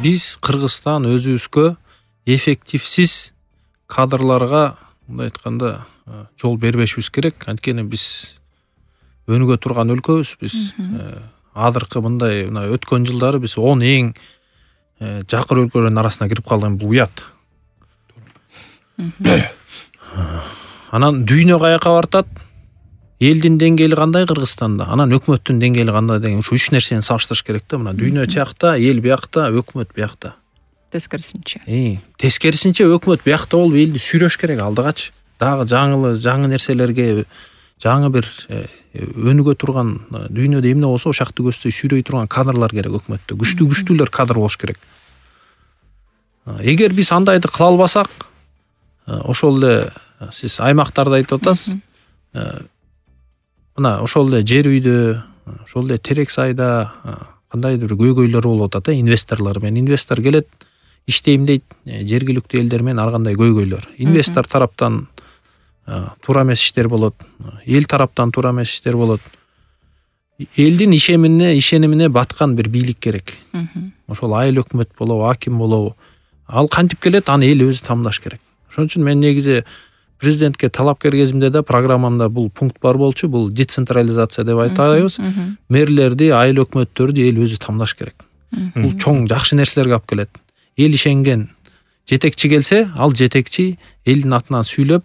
биз Кыргызстан өзүбүзгө эффективсиз кадрларга мындай айтканда жол бербешибиз керек. Анткени биз өнүгө турган өлкөбүз. Биз азыркы мындай өткөн жылдары биз 10 эң жакыр өлкөлөрдүн арасына кирип калган, бул уят. Анан дүйнө каяка бартат? Элдин деңгээли кандай Кыргызстанда, анан өкмөттүн деңгээли кандай деген ушу 3 нерсени салыштырыш керек да. Мына дүйнө тиякта, эл биякта, өкмөт биякта. Тескерисинче. Тескерисинче өкмөт биякта болуп элди сүйрөш керек алдыгачы. Дагы жаңы нерселерге, жаңы бир өнүгө турган дүйнөдө эмне болсо ошакты көздөй сүйрөй турган кадрлар керек өкмөттө. Күчтүүлөр кадр болуш керек. Эгер биз андайды кыла албасак, ошол эле сиз аймактарды айтып атасыз. Мына ошол эле жер үйдө, ошол эле терек сайда кандайдыр бир көйгөйлөр болуп атат, инвесторлор менен. Инвестор келет, иштейм дейт, жергиликтүү элдер менен ар кандай көйгөйлөр. Инвестор тараптан туура эмес иштер болот, эл тараптан туура эмес иштер болот. Элдин ишенимине баткан бир бийлик керек. Ошол айыл өкмөт болобу, аким болобу, ал кантип келет, аны эл өзү тамдаш керек. Ошон үчүн мен негизи президентке талапкер кезимде да программамда бул пункт бар болчу, бул децентрализация деп айтабыз. Мэрлерди, айыл өкмөттөрдү эл өзү тамдаш керек. Бул чоң жакшы нерселерге алып келет. Эл ишенген жетекчи келсе, ал жетекчи элдин атынан сүйлөп,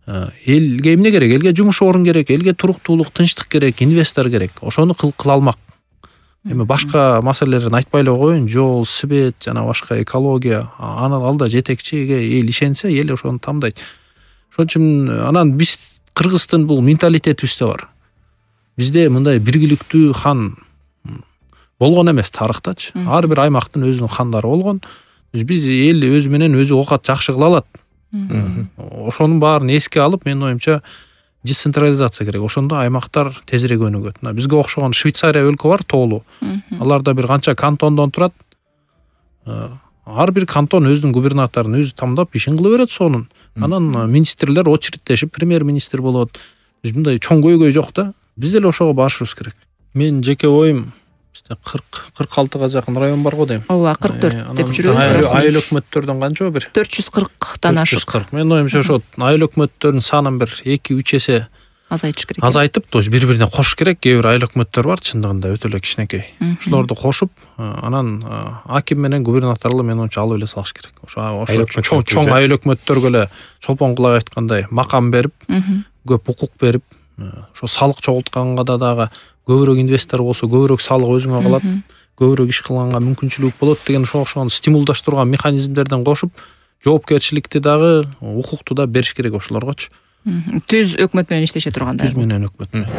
элге эмне керек? Элге жумуш орун керек, элге туруктуулук, тынчтык керек, инвестор керек. Ошону кыла алмак. Эми башка маселелерин айтпай эле коеюн, жол, свет жана башка экология, алда жетекчиге эл ишенсе, эл ошону тамдайт. Ошон үчүн анан биз Кыргыздын бул менталитетибизде бар. Бизде мындай биргиликтүү хан болгон эмес тарыхтачы. Ар бир аймактын өзүнүн хандары болгон. Биз эл өзү менен өзү оокат жакшы кыла алат. Ошонун баарын эске алып, менин оюмча децентрализация керек. Ошондо аймактар тезирээк өнүгөт. Бизге окшогон Швейцария өлкө бар, тоолуу. Аларда бир канча кантондон турат. Ар бир кантон өзүнүн губернаторун өзү тамдап ишин кыла берет сонун. Анан министрлер очереддешип премьер-министр болот. Мындай чоң көйгөй жок да. Биз деле ошого барышыбыз керек. Мен жеке оюм 46га жакын район бар го дейм. Ооба, 44 деп жүрөбүз. Айыл өкмөттөрдөн канча бир 440дан ашык. 440. Мен оюмча ошо айыл өкмөттөрдүн санын бир 2-3 эсе азайтыш керек. Азайтып, то есть бири-бирине кошуш керек. Кээ бир айыл өкмөттөр бар, чындыгында өтө эле кичинекей. Ошолорду кошуп, анан аким менен губернаторлу мен оюмча алып эле салыш керек. Ошо чоң айыл өкмөттөргө эле чолпон кулай айткандай макам берип, көп укук берип, ошо салык чогултканга да дагы көбүрөөк инвестор болсо, көбүрөөк салык өзүңө калат, көбүрөөк иш кылганга мүмкүнчүлүк болот деген ошого окшогон стимулдаштырган механизмдерден кошуп, жоопкерчиликти дагы, укукту да бериш керек ошолоргочу. Түз өкмөт менен иштеше турганда. Түз менен өкмөт менен.